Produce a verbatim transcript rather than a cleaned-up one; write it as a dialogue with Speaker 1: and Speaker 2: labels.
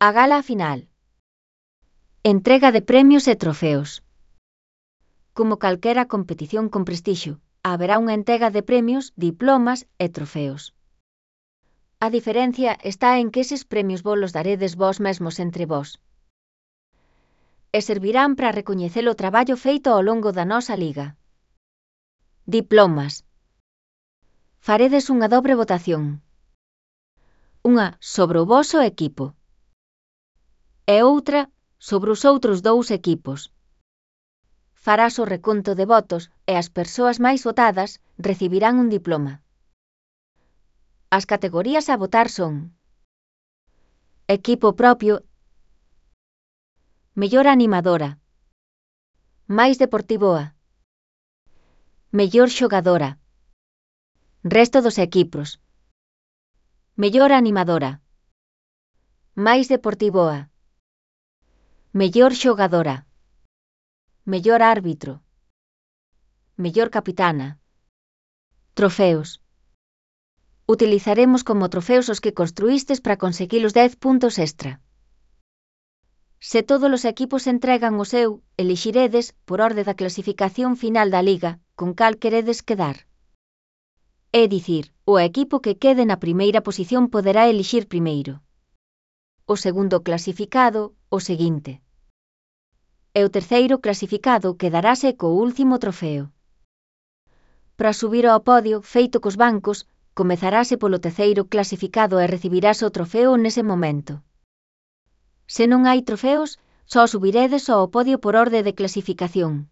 Speaker 1: A gala final. Entrega de premios e trofeos. Como calquera competición con prestixio, haberá unha entrega de premios, diplomas e trofeos. A diferencia está en que eses premios vos los daredes vós mesmos entre vós. E servirán para recoñecer o traballo feito ao longo da nosa liga. Diplomas. Faredes unha dobre votación. Unha sobre o voso equipo. E outra sobre os outros dous equipos. Farás o reconto de votos e as persoas máis votadas recibirán un diploma. As categorías a votar son: equipo propio, mellor animadora, máis deportivoa, mellor xogadora, resto dos equipos, mellor animadora, máis deportivoa, mellor xogadora, mellor árbitro, mellor capitana. Trofeos. Utilizaremos como trofeos os que construístes para conseguir os dez puntos extra. Se todos os equipos entregan o seu, elixiredes, por orde da clasificación final da liga, con cal queredes quedar. É dicir, o equipo que quede na primeira posición poderá elixir primeiro. O segundo clasificado, o seguinte. E o terceiro clasificado quedarase co último trofeo. Para subir ao podio, feito cos bancos, comezarase polo terceiro clasificado e recibirás o trofeo nese momento. Se non hai trofeos, só subiredes ao podio por orde de clasificación.